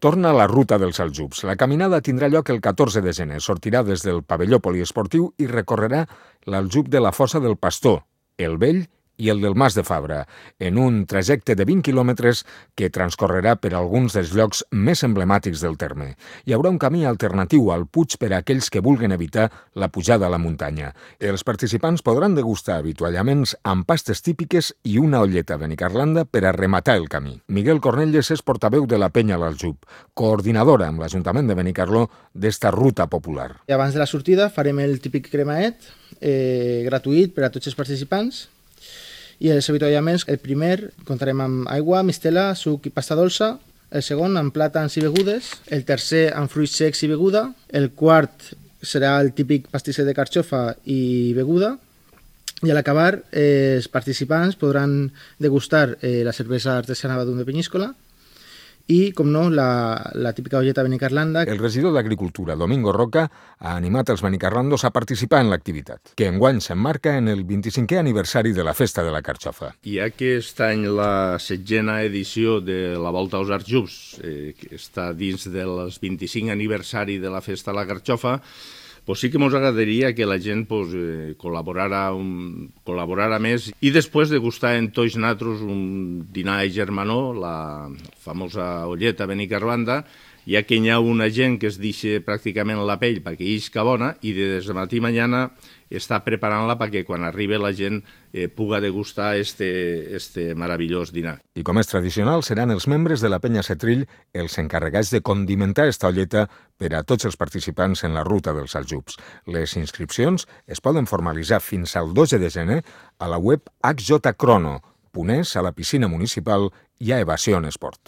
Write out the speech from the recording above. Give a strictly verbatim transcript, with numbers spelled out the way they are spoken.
Torna a la ruta dels Aljubs. La caminada tindrà lloc el catorze de gener. Sortirà des del pavelló poliesportiu i recorrerà l'Aljub de la Fossa del Pastor, el Vell i el del Mas de Fabra, en un trajecte de vint quilòmetres que transcorrerà per alguns dels llocs més emblemàtics del terme. Hi haurà un camí alternatiu al Puig per a aquells que vulguin evitar la pujada a la muntanya. Els participants podran degustar avituallaments amb pastes típiques i una olleta benicarlanda per a rematar el camí. Miguel Cornelles és portaveu de la Penya l'Aljub, coordinadora amb l'Ajuntament de Benicarló d'esta ruta popular. I abans de la sortida farem el típic cremaet, eh, gratuït per a tots els participants. I els avituallaments, el primer comptarem amb aigua, mistela, suc i pasta dolça, el segon amb plàtans i begudes, el tercer amb fruits secs i beguda, el quart serà el típic pastisset de carxofa i beguda, i a l'acabar eh, els participants podran degustar eh, la cervesa artesana Badum de Penyíscola i, com no, la, la típica olleta benicarlanda. El regidor d'Agricultura, Domingo Roca, ha animat els benicarlandos a participar en l'activitat, que enguany s'emmarca en el vint-i-cinquè aniversari de la Festa de la Carxofa. I aquest any la setzena edició de la Volta als Aljubs, eh, que està dins del vint-i-cinc aniversari de la Festa de la Carxofa, pues sí que ens agradaria que la gent pues, eh, col·laborara, un, col·laborara més i després degustar en tots nosaltres un dinar de germanor, la famosa olleta benicarlanda, ja que hi ha una gent que es deixa pràcticament la pell perquè isca bona i des de matí mañana està preparant-la perquè quan arribi la gent eh, puga degustar este, este meravellós dinar. I com és tradicional, seran els membres de la Penya Setrill els encarregats de condimentar esta olleta per a tots els participants en la ruta dels Aljubs. Les inscripcions es poden formalitzar fins al dotze de gener a la web h j crono punt es, a la piscina municipal i a Evasió en Esport.